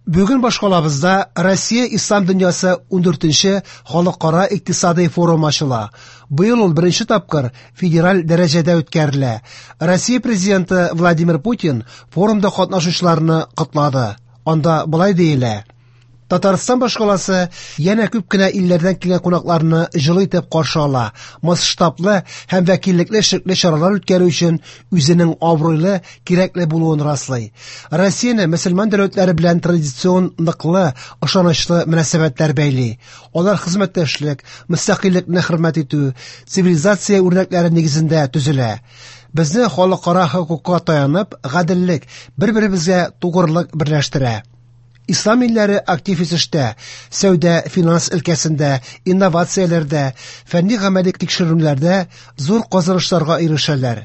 Бүген башкалабызда Россия Ислам дөньясы 14нче халыкара икътисадый форум ачыла. Быел ул беренче тапкыр федераль дәрәҗәдә үткәрелә. Россия президенты Владимир Путин форумда катнашучыларны котлады. Анда болай диелә: Татарстан башкаласы янә күп кенә илләрдән килгән кунакларны җылы итеп каршы ала. Масштаблы һәм вәкиллекле эшлекле чаралар үткәрү өчен үзенең абруйлы, кирәкле булуын раслый. Россияне мөселман дәүләтләре белән традицион ныклы, ышанычлы мөнәсәбәтләр бәйли. Алар хезмәттәшлек, мөстәкыйльлекне хөрмәт итү, цивилизация үрнәкләре нигезендә төзелә. Безне халыкара хокукка таянып, гаделлек, бер-беребезгә тугрылык берләштерә. Ислам илләре актив үсештә, сәүдә, финанс өлкәсендә, инновацияләрдә, фәнни гамәли тикшеренүләрдә зур казанышларга ирешәләр.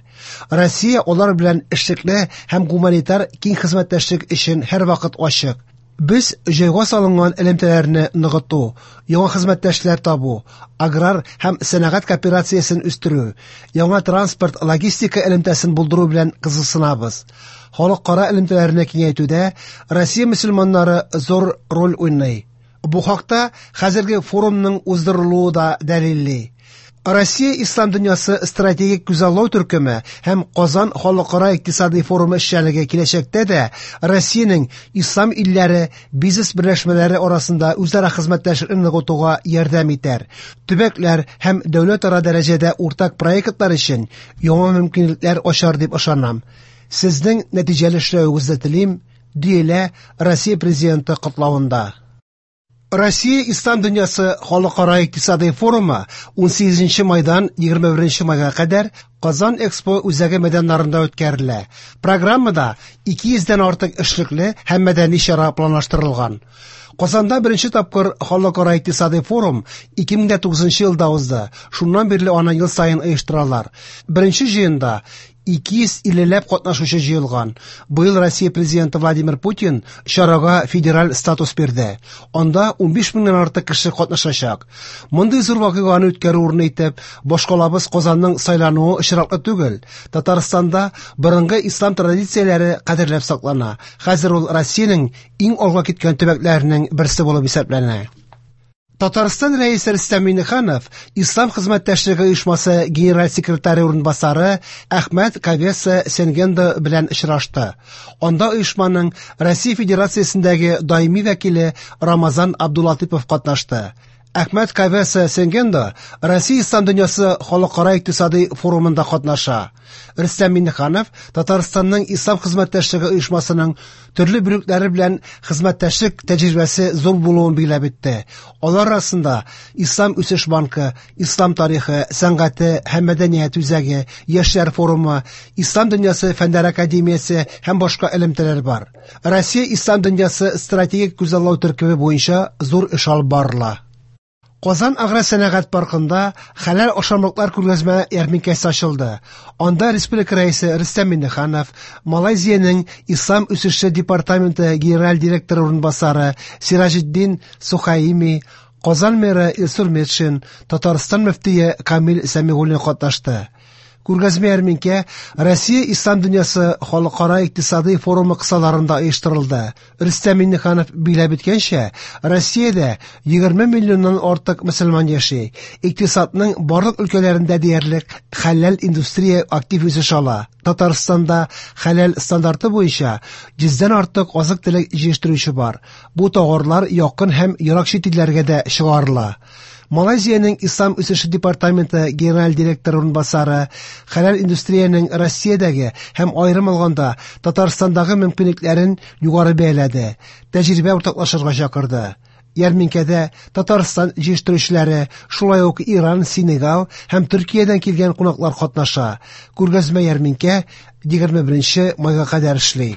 Россия алар белән эшлекле һәм гуманитар киң хезмәттәшлек өчен һәрвакыт ачык. Без җайга салынган элемтәләрне ныгыту, яңа хезмәттәшләр табу, аграр һәм сәнәгать кооперациясен үстерү, яңа транспорт логистика элемтәсен булдыру белән кызыксынабыз. Халыкара элемтәләрне киңәйтүдә Россия мөселманнары зур роль уйный. Бу хакта хәзерге форумның уздырылуы да дәлилли. Россия Ислам дөньясы стратегик күзаллау төркеме һәм Казан халыкара икътисадый форумы эшчәнлеге киләчәктә дә Россиянең ислам илләре бизнес берләшмәләре арасында үзара хезмәттәшлекне ныгытуга ярдәм итәр. Төбәкләр һәм дәүләтара дәрәҗәдә уртак проектлар өчен яңа мөмкинлекләр ачар дип ышанам. Сезнең нәтиҗәле эшләвегезне телим, диелә Россия президенты котлавында. Россия Ислам дөньясы халыкара икътисадый форумы 18 майдан 21 майга кадәр Казан Экспо үзәге мәйданнарында үткәрелә. Программада 200 дән артык эшлекле һәм мәдәни чара планлаштырылган. Казанда беренче тапкыр халыкара икътисадый форум 2009 елда узды. Шуннан бирле аны ел саен оештыралар. Беренче җыенда 250 ләп катнашучы җыелган. Быел Россия президенты Владимир Путин чарага федераль статус бирде. Анда 15 меңнән артык кеше катнашачак. Мондый зур вакыйганы үткәрү урыны итеп башкалабыз Казанның сайлануы очраклы түгел. Татарстанда борынгы ислам традицияләре кадерләп саклана. Хәзер ул Россиянең иң алга киткән төбәкләренең берсе булып исәпләнә. Татарстан Рәисе Рөстәм Миңнеханов Ислам хезмәттәшлеге оешмасы генераль секретаре урынбасары Әхмәт Кавеса Сенгендо белән очрашты. Анда оешманың Россия Федерациясендәге даими вәкиле Рамазан Абдулатипов катнашты. Әхмәт Кавеса Сенгендо Россия Ислам дөньясы халыкара икътисадый форумында катнаша. Рөстәм Миңнеханов Татарстанның Ислам хезмәттәшлеге оешмасының төрле бүлекләре белән хезмәттәшлек тәҗрибәсе зур булуын билгеләп үтте. Алар арасында Ислам үсеш банкы, Ислам тарихы, сәнгате һәм мәдәният үзәге, Яшьләр форумы, Ислам дөньясы фәннәр академиясе һәм башка элемтәләр бар. Россия Ислам дөньясы стратегик күзаллау төркеме буенча зур эш алып барыла. Казан агросәнәгать паркында хәләл ашамлыклар күргәзмә ярминкәсе ачылды. Анда республика рәисе Рөстәм Миңнеханов, Малайзиянең Ислам үсеше департаменты генераль директоры урынбасары Сираҗетдин Сухаими, Казан мэры Илсур Метшин, Татарстан мөфтие Камил Сәмигуллин катнашты. Күргәзмә ярминкә Россия Ислам дөньясы халыкара икътисадый форумы кысаларында оештырылды. Рөстәм Миңнеханов билгеләп үткәнчә, Россиядә 20 миллионнан артык мөселман яши. Икътисадның барлык өлкәләрендә диярлек хәләл индустрия актив үсеш ала. Татарстанда хәләл стандарты буенча 100дән артык азык-төлек җитештерүче бар. Бу товарлар якын һәм ерак чит илләргә дә чыгарыла. Малайзиянең Ислам үсеше департаменты генераль директоры урынбасары хәләл индустриянең Россиядәге һәм аерым алганда Татарстандагы мөмкинлекләрен югары бәяләде, тәҗрибә уртаклашырга чакырды. Ярминкәдә Татарстан җитештерүчеләре, шулай ук Иран, Сенегал һәм Төркиядән килгән кунаклар катнаша. Күргәзмә ярминкә 21 майга кадәр эшли.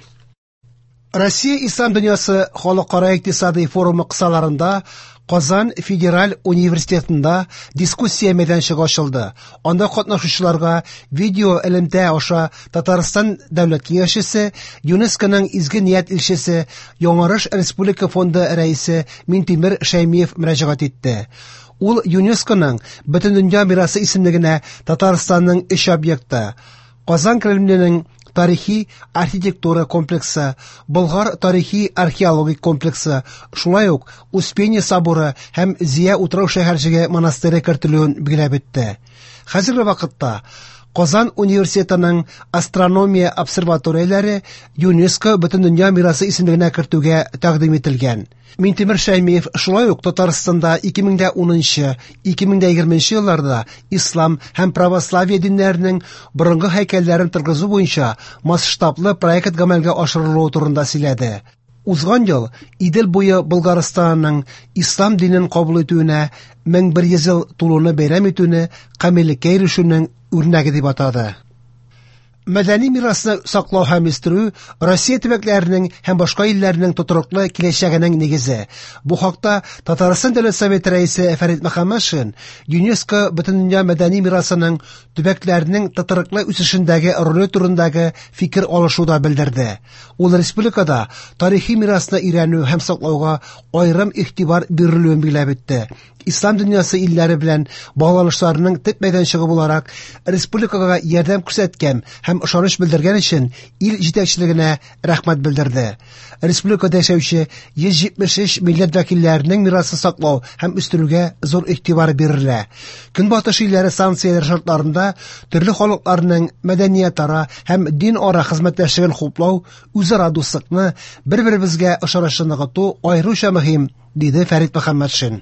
Россия Ислам дөньясы халыкара икътисадый форумы кысаларында Казан федераль университетында дискуссия мәйданчыгы ачылды. Анда катнашучыларга видео элемтә аша Татарстан дәүләт киңәшчесе, ЮНЕСКОның изге ният илчесе, Яңарыш республика фонды рәисе Минтимер Шәймиев мөрәҗәгать итте. Ул ЮНЕСКОның Бөтендөнья мирасы исемлегенә Татарстанның өч объекты Казан Кремленең тарихи-архитектура комплексы, Болгар тарихи-археологик комплексы, шулай ук Успенье соборы һәм Зөя утрау-шәһәрчеге монастыре кертелүен билгеләп үтте. Хәзерге вакытта Казан университетының астрономия обсерваторияләре ЮНЕСКО Бөтендөнья мирасы исемлегенә кертүгә тәкъдим ителгән. Минтимер Шәймиев шулай ук Татарстанда 2010-2020 елларда ислам һәм православие диннәренең борынгы һәйкәлләрен торгызу буенча масштаблы проект гамәлгә ашырылуы турында сөйләде. Узган ел Идел буе Болгарстанының ислам динен кабул итүенә 1100 ел тулуны бәйрәм итүне камиллеккә ирешүнең үрнәге дип атады. Мәдәни мирасны саклау һәм үстерү Россия төбәкләренең һәм башка илләрнең тотрыклы киләчәгенең нигезе. Бу хакта Татарстан Дәүләт Советы рәисе Фәрит Мөхәммәтшин ЮНЕСКО Бөтендөнья мәдәни мирасының төбәкләрнең тотрыклы үсешендәге роле турындагы фикер алышуда белдерде. Ул республикада тарихи мирасны өйрәнү һәм саклауга аерым игътибар бирелүен билгеләп үтте. Ислам дөньясы илләре белән багланышларының төп мәйданчыгы буларак республикага ярдәм күрсәткән һәм ышаныч белдергән өчен ил җитәкчелегенә рәхмәт белдерде. Республикада яшәүче 173 милләт вәкилләренең мирасын саклау һәм үстерүгә зур игътибар бирелә. Көнбатыш илләре санкцияләр шартларында төрле халыкларның мәдәниятара һәм дин-ара хезмәттәшлеген хуплау, үзара дуслыкны, бер-беребезгә ышанычны ныгыту аеруча мөһим, диде Фәрит Мөхәммәтшин.